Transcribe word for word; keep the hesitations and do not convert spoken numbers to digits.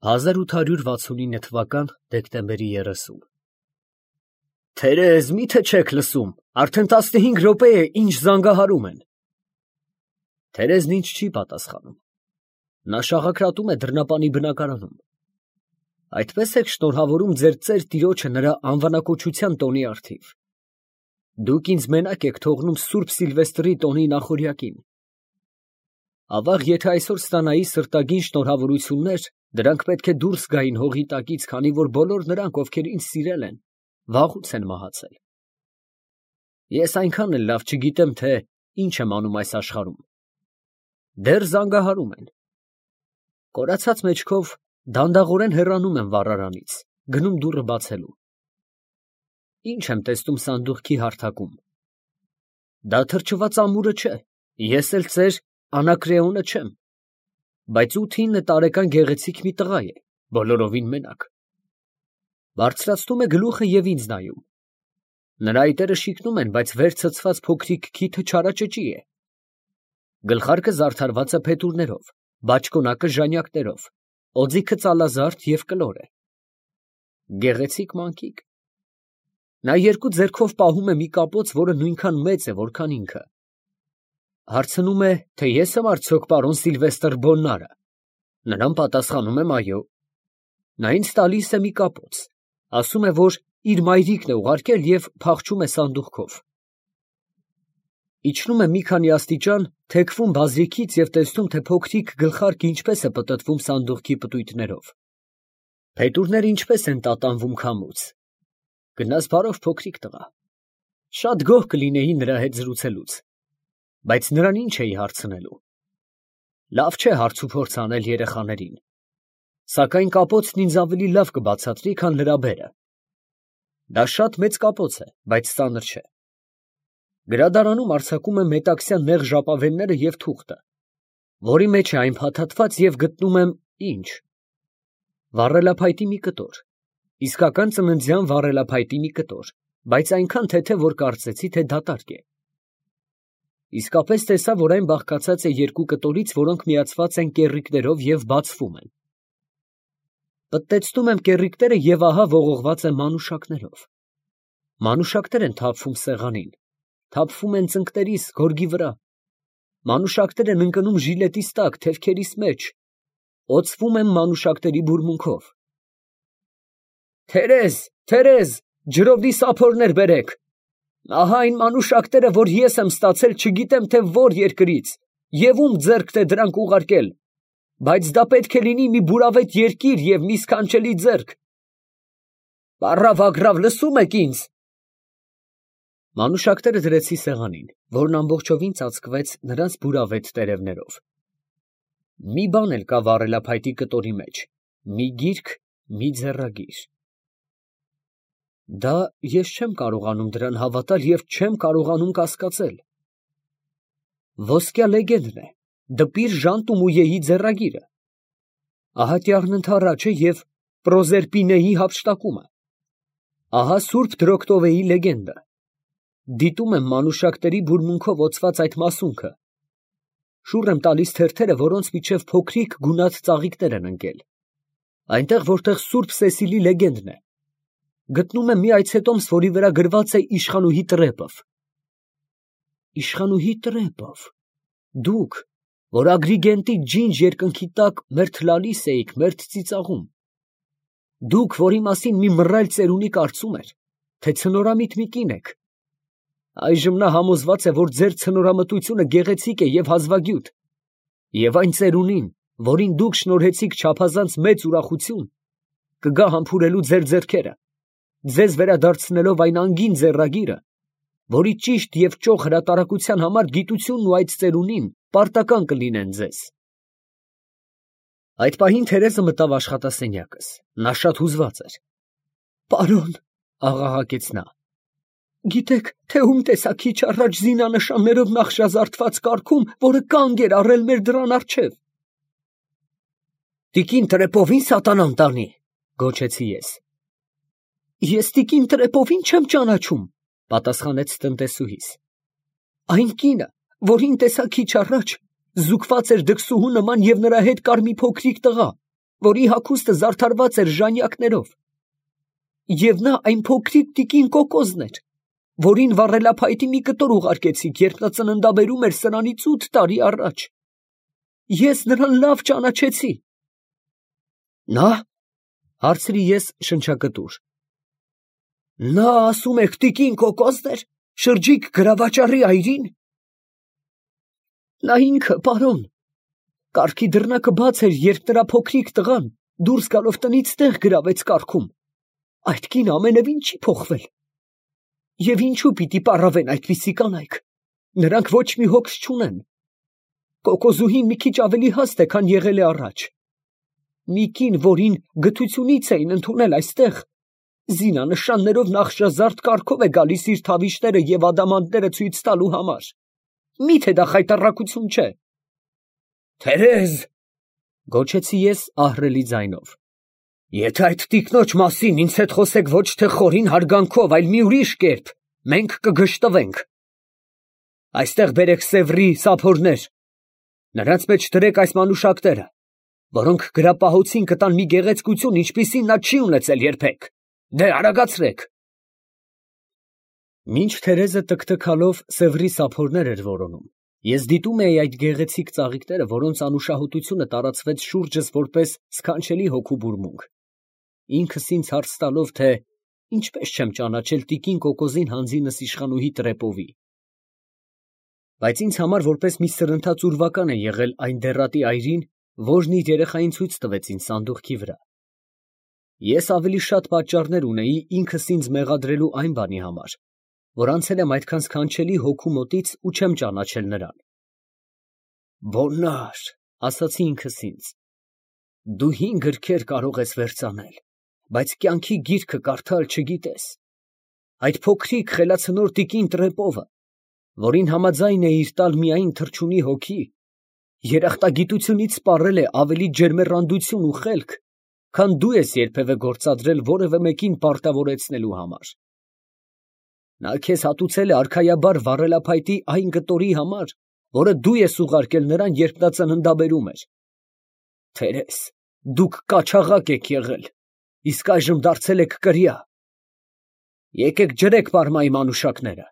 հազար ութ հարյուր վաթսունինը թվական դեկտեմբերի երեսին Թերեզ, մի՞թե չեք լսում, արդեն տասնհինգ րոպե է, ինչ զանգահարում են։ Թերեզն ինձ չի պատասխանում։ Նա շաղակրատում է դռնապանի բնակարանում։ Այդպես եք շնորհավորում ձեր ծեր տիրոջը նրա անվանակոչության տոնի առթիվ։ Դուք ինձ մենակ եք թողնում Սուրբ Սիլվեստրի տոնի նախօրյակին։ Ավաղ, եթե այսօր ստանայի սրտագին շնորհավորություններ, դրանք պետք է դուրս գային հողի տակից, քանի որ բոլոր նրանք, ովքեր ինձ սիրել են, վաղուց են մահացել։ Ես այնքան էլ լավ չգիտեմ, թե ինչ եմ անում այս աշխարհում։ Դեռ զանգահարում են։ Կորացած մեջքով դանդաղորեն հեռանում եմ վառարանից, գնում դուռը բացելու։ Ինչ եմ տեսնում սանդուղքի հարթակում։ Դա թրջված ամուրը չէ, ես էլ ծեր Անակրեոնը չեմ, բայց ութ֊ինը տարեկան գեղեցիկ մի տղա է, բոլորովին մենակ։ Բարձրացնում է գլուխը և ինձ նայում։ Նրա այտերը շիկնում են, բայց վեր ցցված փոքրիկ քիթը չարաճճի է։ Գլխարկը զարդարված է փետուրներով, բաճկոնակը ժանյակներով, օձիքը ծալազարդ և կլոր է։ Գեղեցիկ մանկիկ։ Նա երկու ձեռքով պահում է մի կապոց, որը նույնքան մեծ է, որքան ինքը։ Հարցնում է, թե ես եմ արդյոք պարոն Սիլվեստր Բոլնարը։ Նրան պատասխանում եմ այո։ Նա ինձ տալիս է մի կապոց, ասում է, որ իր մայրիկն է ուղարկել և փախչում է սանդուղքով։ Իջնում է մի քանի աստիճան, թեքվում բազրիքից և տեսնում, թե փոքրիկ գլխարկը ինչպես է պտտվում սանդուղքի պտույտներով։ Փետուրները ինչպես են տատանվում քամուց։ Գնաս բարով փոքրիկ տղա։ Շատ գոհ կլինեի նրա հետ զրուցելուց, բայց նրան ինչ էի հարցնելու։ Լավ չէ հարցուփորձ անել երեխաներին, սակայն կապոցն ինձ ավելի լավ կբացատրի, քան լրաբերը։ Դա շատ մեծ կապոց է, բայց ծանր չէ։ Գրադարանում արձակում եմ մետաքսյան նեղ ժապավենները և թուղթը, որի մեջ է այն փաթաթված, և գտնում եմ ինչ։ Վառելափայտի մի կտոր, իսկական ծննդյան վառելափայտի մի կտոր, բայց այնքան թեթև, որ կարծեցի, թե դատարկ է։ Իսկապես տեսա, որ այն բաղկացած է երկու կտորից, որոնք միացված են կեռիկներով և բացվում են։ Պտտեցնում եմ կեռիկները և ահա ողողված է մանուշակներով։ Մանուշակներ են թափվում սեղանին, թափվում են ծնկներիս, գորգի վրա։ Մանուշակներ են ընկնում ժիլետիս տակ, թևքերիս մեջ, օծվում եմ մանուշակների բուրմունքով։ Թերեզ, Թերեզ, ջրովի սափորներ բերեք։ Ահա այն մանուշակները, որ ես եմ ստացել չգիտեմ թե որ երկրից, և ում ձեռքն է դրանք ուղարկել, բայց դա պետք է լինի մի բուրավետ երկիր և մի սքանչելի ձեռք։ Պառավ, լսում եք ինձ։ Մանուշակները դրեցի սեղանին, որն ամբողջովին ծածկվեց նրանց բուրավետ տերևներով։ Մի բան էլ կա վառելափայտի կտորի մեջ, մի գիրք, մի ձեռագիր։ Դա ես չեմ կարողանում դրան հավատալ և չեմ կարողանում կասկածել։ Ոսկյա լեգենդն է, դպիր Ժան Տումույեի ձեռագիրը։ Ահատյառն ընդառաջը և Պրոզերպինեի հափշտակումը։ Ահա Սուրբ Դրոկտովեի լեգենդը։ Դիտում եմ մանուշակների բուրմունքով օծված այդ մասունքը։ Շուռ եմ տալիս թերթերը, որոնց միջև փոքրիկ գունատ ծաղիկներ են ընկել։ Այնտեղ, որտեղ Սուրբ Սեսիլի լեգենդն է, գտնում եմ մի այցետոմս, որի վրա գրված է Իշխանուհի Տրեպով։ Իշխանուհի Տրեպով, դուք, որ Ագրիգենտի ջինջ երկնքի տակ մերթ լալիս էիք, մերթ ծիծաղում, դուք, որի մասին մի մռայլ ծերունի կարծում էր, թե ցնորամիտ մի կին եք, այժմ նա համոզված է, որ ձեր ցնորամտությունը գեղեցիկ է և հազվագյուտ, և այն ծերունին, որին դուք շնորհեցիք չափազանց մեծ ուրախություն, կգա համբուրելու ձեր ձեռքերը, ձեզ վերադարձնելով այն անգին ձեռագիրը, որի ճիշտ և ճոխ հրատարակության համար գիտությունն ու այդ ծերունին պարտական կլինեն ձեզ։ Այդ պահին Թերեզը մտավ աշխատասենյակս, նա շատ հուզված էր։ Պարոն, աղաղակեց նա, գիտեք, թե ում տեսա քիչ առաջ զինանշաններով նախշազարդված կառքում, որը կանգ էր առել մեր դռան առջև։ Տիկին Տրեպովին սատանան տանի, գոչեցի ես։ Ես տիկին Տրեպովին չեմ ճանաչում, պատասխանեց տնտեսուհիս։ Այն կինը, որին տեսա քիչ առաջ, զուգված էր դքսուհու նման և նրա հետ կար մի փոքրիկ տղա, որի հագուստը զարդարված էր ժանյակներով, և նա այն փոքրիկ տիկին կոկոսն էր, որին վառելափայտի մի կտոր ուղարկեցիք, երբ նա ծննդաբերում էր սրանից ութ տարի առաջ. ես նրան լավ ճանաչեցի։ Նա, հարցրի ես շնչակտուր, նա ասում եք տիկին կոկոսն էր, շրջիկ գրավաճառի այրին։ Նա ինքը, պարոն, կառքի դռնակը բաց էր, երբ նրա փոքրիկ տղան դուրս գալով տնից տեղ գրավեց կառքում։ Այդ կինը ամենևին չի փոխվել։ Եվ ինչու պիտի պառավեն այդպիսի կանայք, նրանք ոչ մի հոգս չունեն։ Կոկոսուհին մի քիչ ավելի հաստ է, քան եղել է առաջ։ Մի կին, որին գթությունից էին ընդունել այստեղ, զինանշաններով նախշազարդ կառքով է գալիս իր թավիշները և ադամանդները ցույց տալու համար։ Մի՞թե դա խայտառակություն չէ։ Թերեզ, գոչեցի ես ահռելի ձայնով, եթե այդ տիկնոջ մասին ինձ հետ խոսեք ոչ թե խորին հարգանքով, այլ մի ուրիշ կերպ, մենք կգժտվենք։ Այստեղ բերեք Սևրի սափորներ, նրանց մեջ դրեք այս մանուշակները, որոնք գրապահոցին կտան մի գեղեցկություն, ինչպիսին նա չի ունեցել երբեք։ Դե արագացրեք։ Մինչ Թերեզը տկտկալով Սևրի սափորներ էր որոնում, ես դիտում էի այդ գեղեցիկ ծաղիկները, որոնց անուշահոտությունը տարածվեց շուրջս որպես սքանչելի հոգու բուրմունք, ինքս ինձ հարց տալով, թե ինչպես չեմ ճանաչել տիկին կոկոսին հանձինս իշխանուհի Տրեպովի։ Բայց ինձ համար որպես մի սրընթաց ուրվական է եղել այն դեռատի այրին, որն իր երեխային ցույց տվեց ինձ սանդուղքի վրա։ Ես ավելի շատ պատճառներ ունեի ինքս ինձ մեղադրելու այն բանի համար, որ անցել եմ այդքան սքանչելի հոգու մոտից ու չեմ ճանաչել նրան։ Բոնար, ասացի ինքս ինձ, դու հին գրքեր կարող ես վերծանել, բայց կյանքի գիրքը կարդալ չգիտես։ Այդ փոքրիկ խելացնոր տիկին Տրեպովը, որին համաձայն էիր տալ միայն թռչունի հոգի, երախտագիտությունից սպառել է ավելի ջերմեռանդություն ու խելք, քան դու ես երբևէ գործադրել որևէ մեկին պարտավորեցնելու համար։ Նա քեզ հատուցել է արքայաբար վառելափայտի այն կտորի համար, որը դու ես ուղարկել նրան, երբ նա ծննդաբերում էր։ Թերեզ, դուք կաչաղակ եք եղել, իսկ այժմ դարձել եք կրիա։ Եկեք ջրեք պարմայի մանուշակները։